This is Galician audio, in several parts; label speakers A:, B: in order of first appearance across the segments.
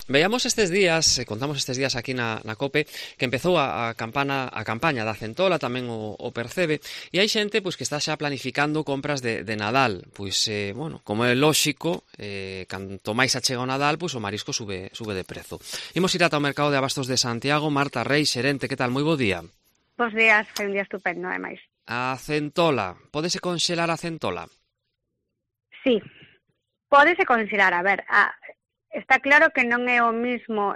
A: Veíamos estes días, contamos estes días aquí na COPE, que empezou a campaña da centola, tamén o percebe, e hai xente pois que está xa planificando compras de Nadal. Pois, bueno, como é lóxico, canto máis achega o Nadal, pois o marisco sube de prezo. Imos ir ata o mercado de abastos de Santiago. Marta Reis, xerente, que tal? Moi bo día.
B: Bos días, foi un día estupendo, ademais.
A: A centola, pódese conxelar a centola?
B: Sí, pódese conxelar, a ver, está claro que non é o mismo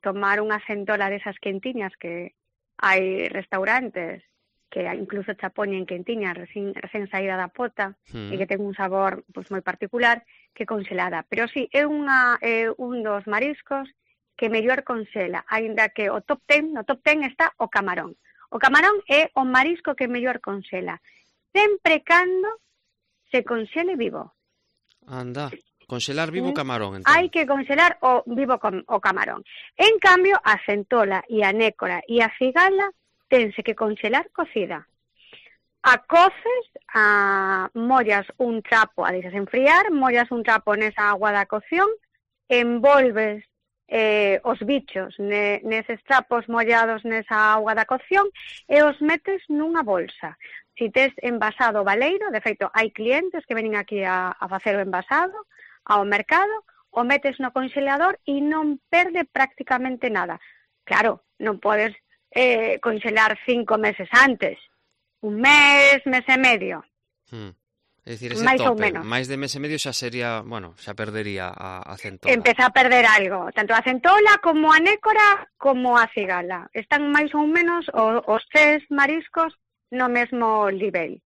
B: tomar unha centola desas quentiñas, que hai restaurantes que incluso xa poñen quentiñas recén saída da pota e que ten un sabor pois moi particular, que conxelada. Pero sí, é un dos mariscos que mellor conxela, aínda que no top 10 está o camarón. O camarón é o marisco que mellor conxela, sempre cando se conxele vivo.
A: Anda, conxelar vivo o camarón, entón.
B: Hai que conxelar o vivo o camarón. En cambio, a centola e a nécora e a cigala tense que conxelar cocida. A coces, mollas un trapo, a deixas enfriar, mollas un trapo nesa agua da cocción, envolves os bichos neses trapos mollados nesa auga da cocción e os metes nunha bolsa. Si tes envasado baleiro, de feito, hai clientes que venen aquí a facer o envasado ao mercado, o metes no conxelador e non perde prácticamente nada. Claro, non podes conxelar 5 meses antes, un mes e medio.
A: É dicir, ese
B: máis
A: tope,
B: máis
A: de mes e medio xa sería, bueno, xa perdería a centola.
B: Empeza a perder algo, tanto a centola como a nécora como a cigala. Están máis ou menos os tres mariscos no mesmo nivel.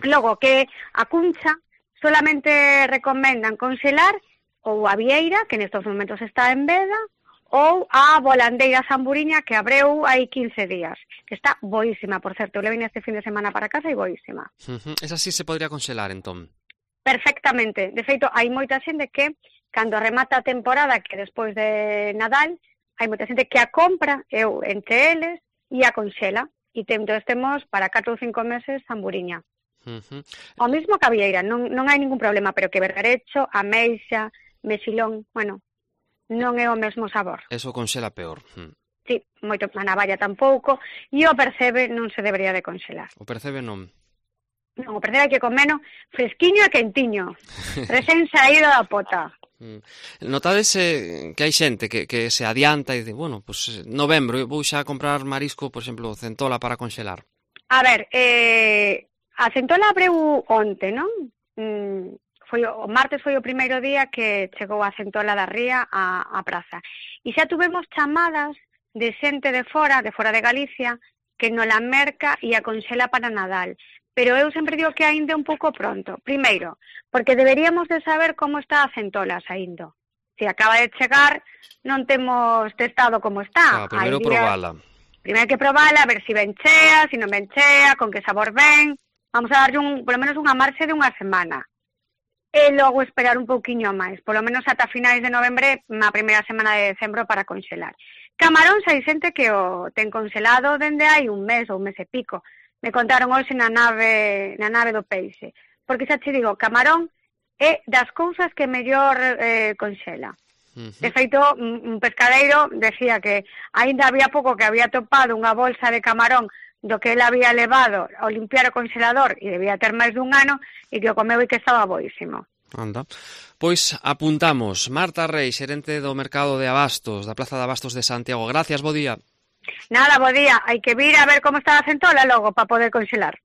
B: Logo que a cuncha solamente recomendan conxelar ou a vieira, que nestos momentos está en veda, ou a volandeira zamburiña, que abreu hai 15 días, que está boísima, por certo. Eu le vine este fin de semana para casa e boísima.
A: Esa sí se podría conxelar, entón?
B: Perfectamente. De feito, hai moita xente que, cando remata a temporada, que despois de Nadal, hai moita xente que a compra, eu entre eles, e a conxela. E temos para 4 ou 5 meses zamburiña. O mismo que a vieira, non hai ningún problema, pero que bergarecho, ameixa, mexilón, bueno, non é o mesmo sabor.
A: Eso conxela peor.
B: Sí, moito, a navalla tampouco, e o percebe non se debería de conxelar.
A: O percebe non?
B: Non, o percebe hai que comeno fresquiño e quentiño, recén saído da pota.
A: Notades que hai xente que se adianta e dice, bueno, pues novembro, vou xa comprar marisco, por exemplo, centola para conxelar?
B: A ver, a centola abreu onte, non? O martes foi o primeiro día que chegou a centola da ría á praza. E xa tuvemos chamadas de xente de fora de Galicia, que nola merca e a conxela para Nadal. Pero eu sempre digo que aínda é un pouco pronto. Primeiro, porque deberíamos de saber como está a centola saindo. Se acaba de chegar, non temos testado como está.
A: Primeiro probala.
B: Primeiro hai que probala, a ver se ben chea, se non ben chea, con que sabor ven. Vamos a darlle polo menos unha marxe de unha semana. E logo esperar un pouquiño máis, polo menos ata finais de novembre, na primeira semana de decembro, para conxelar. Camarón, hai xente que o ten conxelado dende hai un mes ou un mes e pico. Me contaron hoxe na nave do peixe. Porque xa te digo, camarón é das cousas que mellor conxela. De feito, un pescadeiro decía que aínda había pouco que había topado unha bolsa de camarón do que ele había levado ao limpiar o conxelador e debía ter máis dun ano e que o comeu e que estaba boísimo.
A: Anda. Pois apuntamos. Marta Reis, xerente do mercado de abastos, da Plaza de Abastos de Santiago. Gracias, bo día.
B: Nada, bo día. Hai que vir a ver como está a centola logo para poder conxelar.